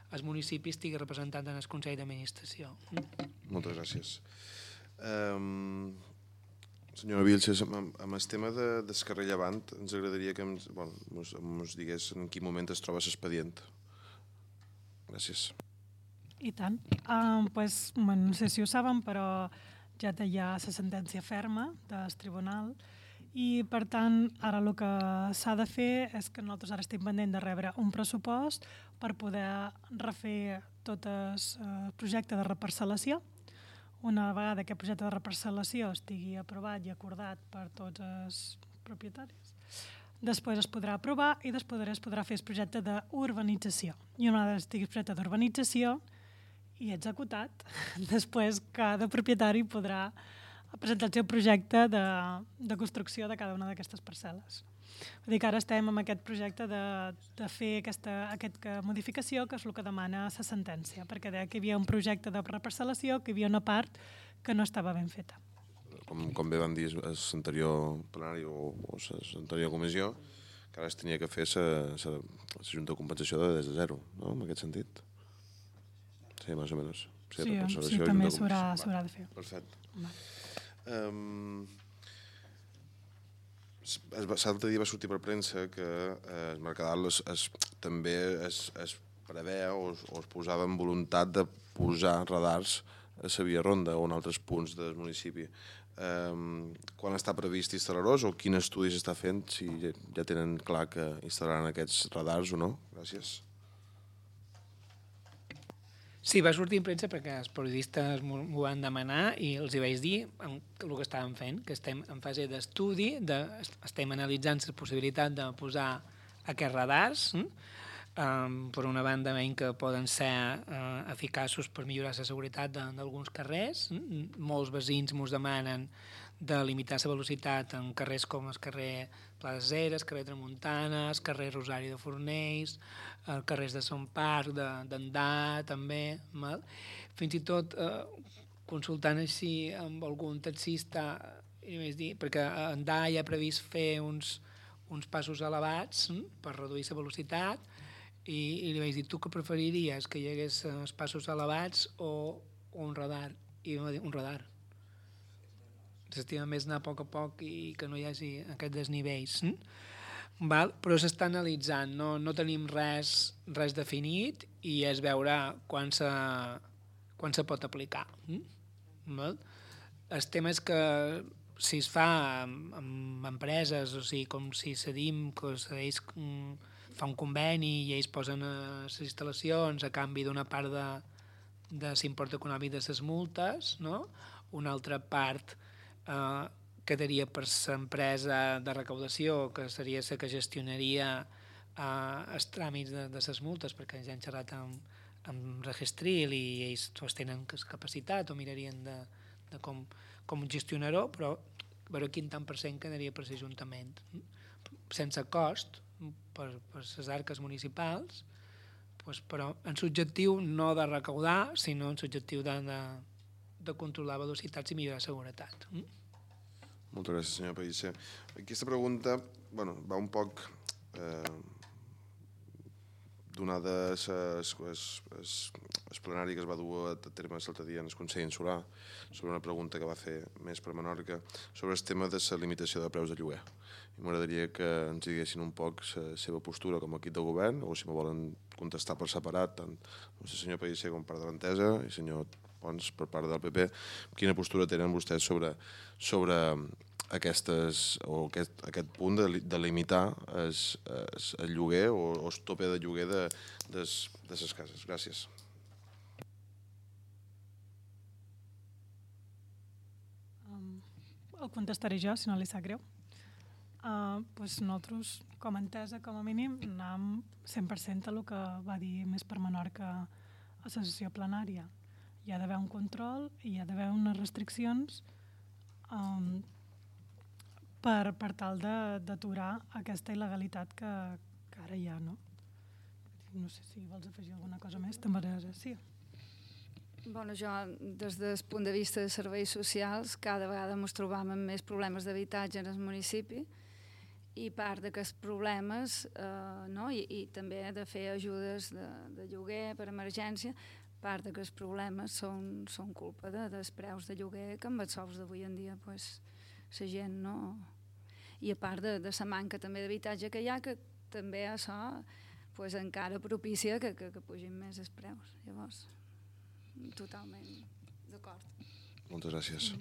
el municipi estigui representat en el Consell d'Administració. Moltes gràcies. Senyora Vilches, amb el tema del carrer Llevant, ens agradaria que ens digués en quin moment es troba l'expedient. Gràcies. I tant. Pues, no sé si ho saben, però ja hi ha la sentència ferma del tribunal i, per tant, ara el que s'ha de fer és que nosaltres ara estem pendent de rebre un pressupost per poder refer tot el projecte de reparcel·lació. Una vegada aquest projecte de reparcel·lació estigui aprovat i acordat per tots els propietaris, després es podrà aprovar i després es podrà fer el projecte d'urbanització. I una vegada estigui el projecte d'urbanització i executat, després cada propietari podrà presentar el seu projecte de construcció de cada una d'aquestes parcel·les. Vull dir que ara estem amb aquest projecte de fer aquesta modificació, que és el que demana la sentència, perquè deia que hi havia un projecte de reparcel·lació, que hi havia una part que no estava ben feta. Com bé van dir a l'anterior plenari o l'anterior comissió, que ara es tenia que fer la Junta de Compensació des de zero, no?, en aquest sentit. Sí, més o menys. Sí, també s'haurà de fer. Perfecte. L'altre dia va sortir per premsa que el Mercadal també es preveu o es posava en voluntat de posar radars a la via ronda o en altres punts del municipi. Quan està previst instal·lar-los o quin estudi s'està fent, si ja tenen clar que instal·laran aquests radars o no? Gràcies. Sí, va sortir en premsa perquè els periodistes m'ho van demanar i els hi vaig dir el que estàvem fent, que estem en fase d'estudi, estem analitzant la possibilitat de posar aquests radars. Per una banda, veiem que poden ser eficaços per millorar la seguretat d'alguns carrers. Molts veïns ens demanen de limitar la velocitat en carrers com el carrer Pla de Ceres, carrer Tramuntana, el carrer Rosari de Fornells, els carrers de Sant Parc, d'Andà, també. Fins i tot consultant així amb algun taxista, perquè a Andà hi ha previst fer uns passos elevats per reduir la velocitat, i li vaig dir, tu què preferiries, que hi hagués els passos elevats o un radar? I em va dir, un radar. S'estima més anar a poc i que no hi hagi aquests desnivells. Però s'està analitzant, no tenim res definit i es veurà quan se pot aplicar. El tema és que si es fa amb empreses, o sigui, com si cedim, que ells fa un conveni i ells posen les instal·lacions a canvi d'una part de l'import econòmic de les multes, una altra part quedaria per l'empresa de recaudació, que seria la que gestionaria els tràmits de les multes, perquè ja han xerrat amb Registril i ells tenen capacitat o mirarien de com gestionar-ho, però veure quin tant per cent quedaria per l'Ajuntament. Sense cost per les arques municipals, però en l'objectiu no de recaudar, sinó en l'objectiu de controlar velocitats i millorar la seguretat. Moltes gràcies, senyor Pellicer. Aquesta pregunta va un poc donada el plenari que es va dur a terme l'altre dia en el Consell Insular sobre una pregunta que va fer més per Menorca sobre el tema de la limitació de preus de lloguer. M'agradaria que ens diguessin un poc la seva postura com a equip de govern, o si me volen contestar per separat, tant el senyor Pellicer com per part de l'Entesa i el senyor Pons per part del PP, quina postura tenen vostès sobre aquest punt de limitar el lloguer o el tope de lloguer de les cases. Gràcies. El contestaré jo, si no li sap greu. Nosaltres, com a Entesa, com a mínim, anem 100% a el que va dir més per Menorca a la sessió plenària. Hi ha d'haver un control i hi ha d'haver unes restriccions per tal d'aturar aquesta il·legalitat que ara hi ha, no? No sé si vols afegir alguna cosa més, també sí. Jo, des del punt de vista de serveis socials, cada vegada ens trobam amb més problemes d'habitatge en el municipi i part d'aquests problemes, i també de fer ajudes de lloguer per emergència, part d'aquests problemes són culpa dels preus de lloguer que amb els sous d'avui en dia la gent no... I a part de la manca també d'habitatge que hi ha, que també això pues encara propicia que pugin més els preus. Llavors, totalment d'acord. Moltes gràcies.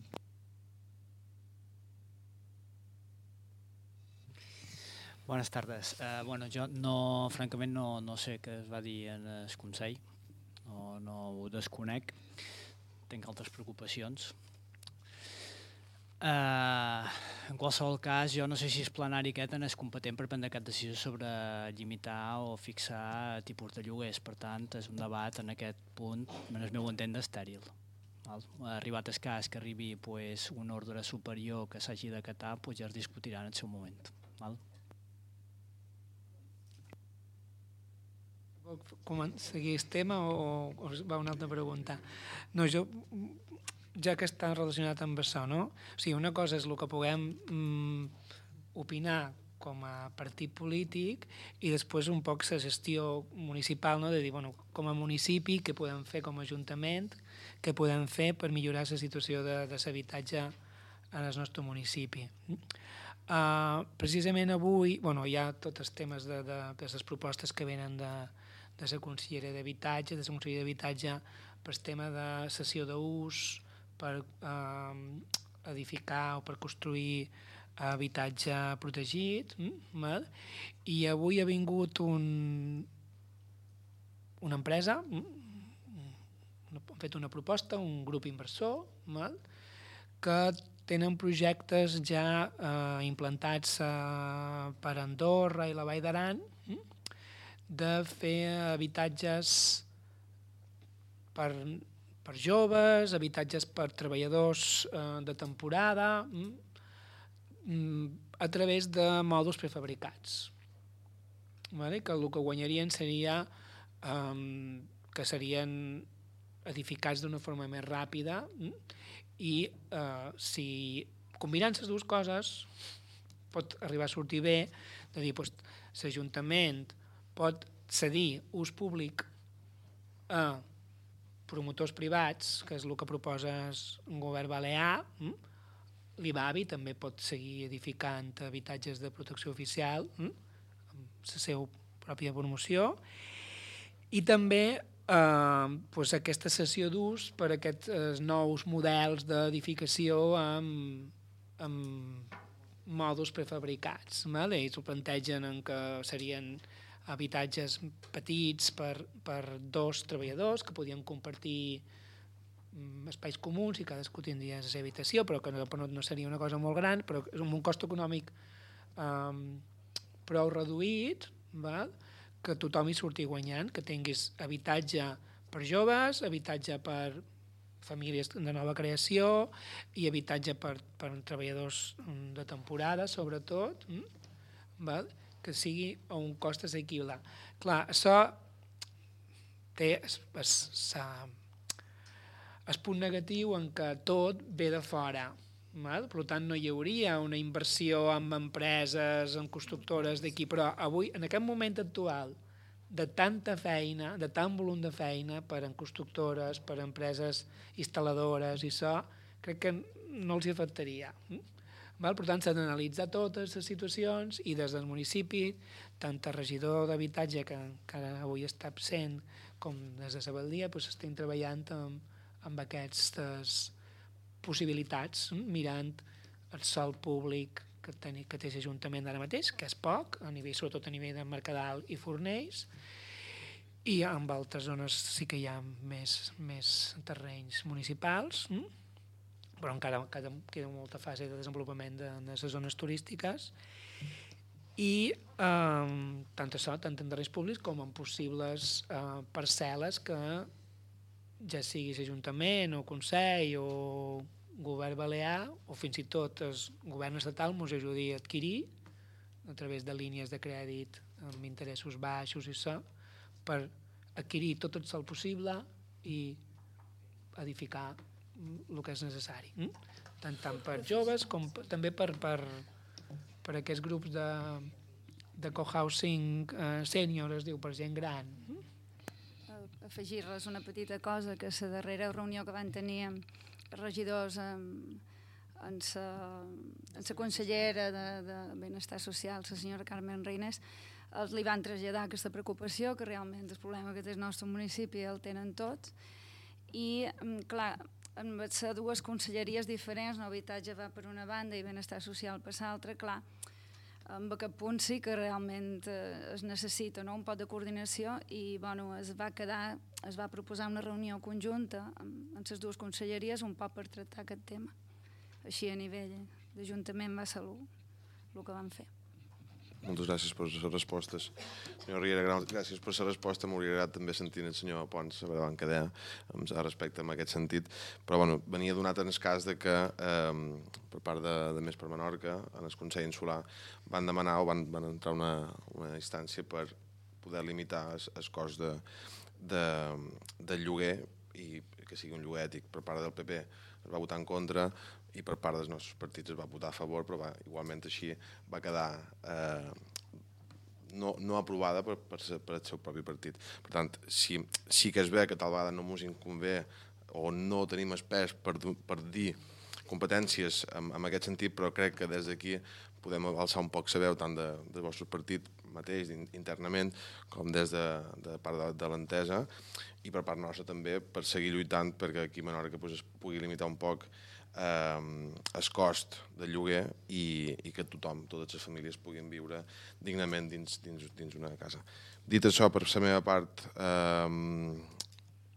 Bones tardes. Jo francament no sé què es va dir en el Consell, no ho desconec, tinc altres preocupacions. En qualsevol cas, jo no sé si el plenari aquest és competent per prendre cap decisió sobre limitar o fixar tipus de lloguers. Per tant, és un debat en aquest punt, en el meu entendre, estèril. Arribat el cas que arribi un ordre superior que s'hagi d'acatar, ja es discutirà en el seu moment. Seguir el tema o va una altra pregunta? No, ja que està relacionat amb això, no? O sigui, una cosa és el que puguem opinar com a partit polític i després un poc la gestió municipal, no? De dir, bueno, com a municipi, què podem fer com a ajuntament, què podem fer per millorar la situació de l'habitatge en el nostre municipi. Precisament avui hi ha tots els temes de les propostes que venen de la Conselleria d'Habitatge, per el tema de cessió d'ús, per edificar o per construir habitatge protegit, i avui ha vingut una empresa, han fet una proposta, un grup inversor, que tenen projectes ja implantats per Andorra i la Vall d'Aran, de fer habitatges per joves, habitatges per treballadors de temporada, a través de mòduls prefabricats. Que el que guanyarien seria que serien edificats d'una forma més ràpida i si combinant les dues coses pot arribar a sortir bé, de dir, l'Ajuntament pot cedir ús públic a promotors privats, que és el que proposa el govern balear. L'IBABI també pot seguir edificant habitatges de protecció oficial amb la seva pròpia promoció, i també aquesta cessió d'ús per aquests nous models d'edificació amb mòduls prefabricats. Ells ho plantegen en que serien habitatges petits per 2 treballadors que podien compartir espais comuns i cadascú tindria la seva habitació, però que no seria una cosa molt gran, però és amb un cost econòmic prou reduït, que tothom hi surti guanyant, que tinguis habitatge per joves, habitatge per famílies de nova creació i habitatge per treballadors de temporada, sobretot, que sigui a un cost assequible. Clar, això té el punt negatiu en què tot ve de fora. Per tant, no hi hauria una inversió en empreses, en constructores d'aquí, però avui, en aquest moment actual, de tanta feina, de tant volum de feina per en constructores, per empreses instal·ladores i això, crec que no els hi afectaria. Per tant, s'han d'analitzar totes les situacions i des del municipi, tant el regidor d'habitatge, que encara avui està absent, com des de Sabaldia, estem treballant amb aquestes possibilitats, mirant el sòl públic que té l'Ajuntament ara mateix, que és poc, sobretot a nivell de Mercadal i Fornells, i en altres zones sí que hi ha més terrenys municipals, però encara queda molta fase de desenvolupament de les zones turístiques, i tant això, tant en terrenys públics com en possibles parcel·les que ja sigui l'Ajuntament o Consell o govern balear o fins i tot el govern estatal ens ajudi a adquirir a través de línies de crèdit amb interessos baixos i això, per adquirir tot el sòl possible i edificar el que és necessari, tant per joves com també per aquests grups de cohousing sènior, es diu, per gent gran. Afegir-les una petita cosa, que la darrera reunió que van tenir regidors amb la consellera de Benestar Social, la senyora Carmen Reines, li van traslladar aquesta preocupació, que realment el problema que té el nostre municipi el tenen tots. I, clar, amb les dues conselleries diferents, l'habitatge va per una banda i benestar social per l'altra, clar, en aquest punt sí que realment es necessita un poc de coordinació i es va proposar una reunió conjunta amb les dues conselleries un poc per tractar aquest tema. Així a nivell d'Ajuntament va ser el que vam fer. Moltes gràcies per les respostes. Senyor Riera, gràcies per la resposta. M'hauria agradat també sentir el senyor Pons a veure què deia respecte en aquest sentit. Però venia donat en el cas de que per part de Més per Menorca, en el Consell Insular, van demanar o van entrar una instància per poder limitar el cost del lloguer i que sigui un lloguer ètic. Per part del PP es va votar en contra i per part dels nostres partits es va votar a favor, però igualment així va quedar no aprovada per el seu propi partit. Per tant, sí que es ve que tal vegada no ens inconvé o no tenim espès per dir competències en aquest sentit, però crec que des d'aquí podem alçar un poc la veu tant del vostre partit mateix internament com des de part de l'entesa i per part nostra també per seguir lluitant perquè aquí a Menorca es pugui limitar un poc el cost del lloguer i que tothom, totes les famílies puguin viure dignament dins una casa. Dit això, per la meva part ha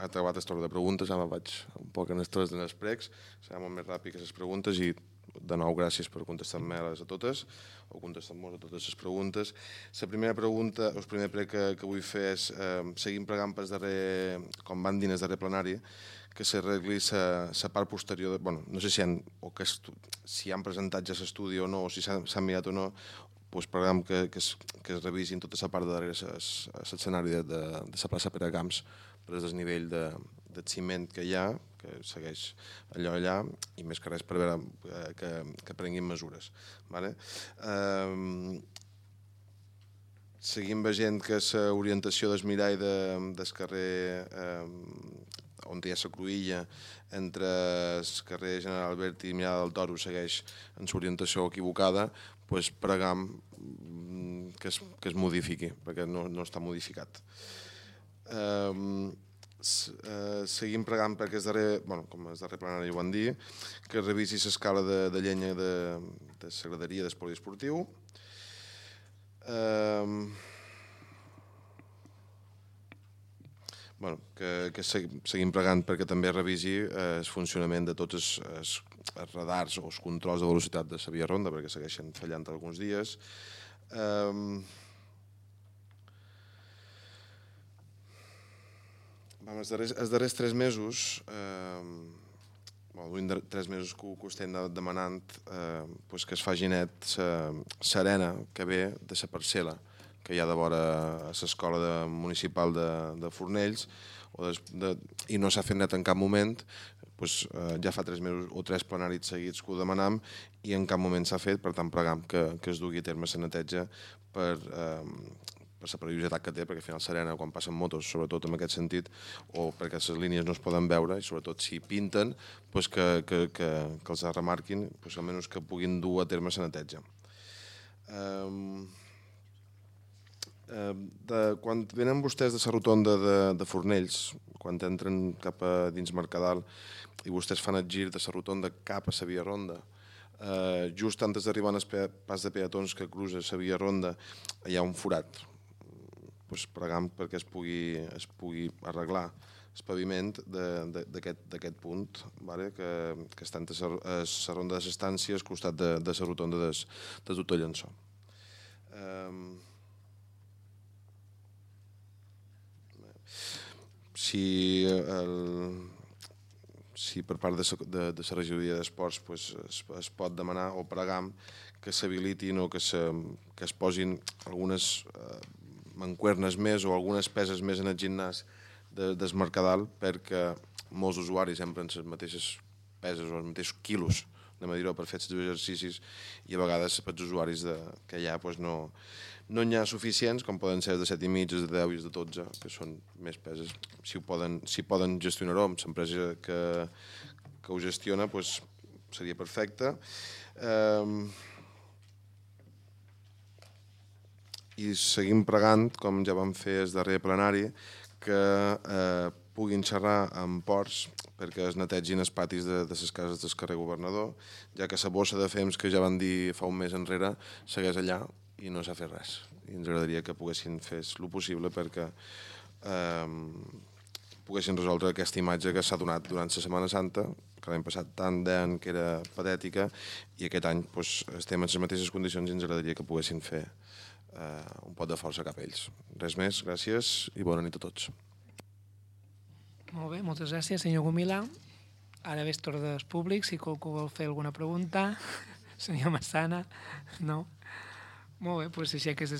acabat el torn de preguntes, ara vaig un poc en els tres dels pregs, serà molt més ràpid que les preguntes i de nou gràcies per contestar-me a totes o contestar-nos a totes les preguntes. La primera pregunta, el primer prec que vull fer és seguim pregant pel darrer, com van dir en el darrer plenari, que s'arregli la part posterior, no sé si han presentat ja l'estudi o no, o si s'han mirat o no, doncs preguem que es revisin tota la part de darrere l'escenari de la plaça Pere Camps per el desnivell de ciment que hi ha, que segueix allà, i més que res per veure que prenguin mesures. Seguim veient que l'orientació del mirall del carrer on hi ha la cruïlla entre el carrer General Alberti i Mirada del Toro segueix en l'orientació equivocada, doncs pregam que es modifiqui, perquè no està modificat. Seguim pregant perquè com el darrer plenari ho van dir, que es revisi l'escala de llenya de la graderia del poliesportiu. Que seguim pregant perquè també revisi el funcionament de tots els radars o els controls de velocitat de la via ronda, perquè segueixen fallant alguns dies. Els darrers 3 mesos, 3 mesos que ho estem demanant, que es faci net l'arena que ve de la parcel·la que hi ha de vora a l'escola municipal de Fornells i no s'ha fet net en cap moment. Ja fa 3 mesos o 3 plenaris seguits que ho demanam i en cap moment s'ha fet, per tant pregam que es dugui a terme la neteja per la perillositat que té, perquè al final l'arena quan passen motos, sobretot en aquest sentit, o perquè les línies no es poden veure i sobretot si pinten, que els remarquin, almenys que puguin dur a terme la neteja. Quan venen vostès de la rotonda de Fornells, quan entren cap a dins Mercadal i vostès fan el gir de la rotonda cap a la via ronda, just antes d'arribar al pas de peatons que cruza la via ronda hi ha un forat. Pregam perquè es pugui arreglar el paviment d'aquest punt, que està a la ronda de l'estància al costat de la rotonda del doctor Llençó. Si per part de la regidoria d'esports es pot demanar o pregam que s'habilitin o que es posin algunes mancuernes més o algunes peses més en el gimnàs del Mercadal perquè molts usuaris empren les mateixes peses o els mateixos quilos de mediró per fer els exercicis i a vegades pels usuaris que hi ha no n'hi ha suficients, com poden ser de 7,5, de 10 i de 12, que són més peses. Si poden gestionar-ho amb l'empresa que ho gestiona, seria perfecte. i seguim pregant, com ja vam fer el darrer plenari, que puguin xerrar amb ports perquè es netegin els patis de les cases del carrer Governador, ja que la bossa de fems que ja van dir fa un mes enrere segueix allà i no s'ha fet res. I ens agradaria que poguessin fer el possible perquè poguessin resoldre aquesta imatge que s'ha donat durant la Setmana Santa, que l'any passat tant deien que era patètica, i aquest any estem en les mateixes condicions i ens agradaria que poguessin fer un pot de força cap a ells. Res més, gràcies i bona nit a tots. Molt bé, moltes gràcies, senyor Gomila. Ara ve el torn dels públics, si qualcú vol fer alguna pregunta. Senyor Massana, no? Molt bé, doncs aixeques de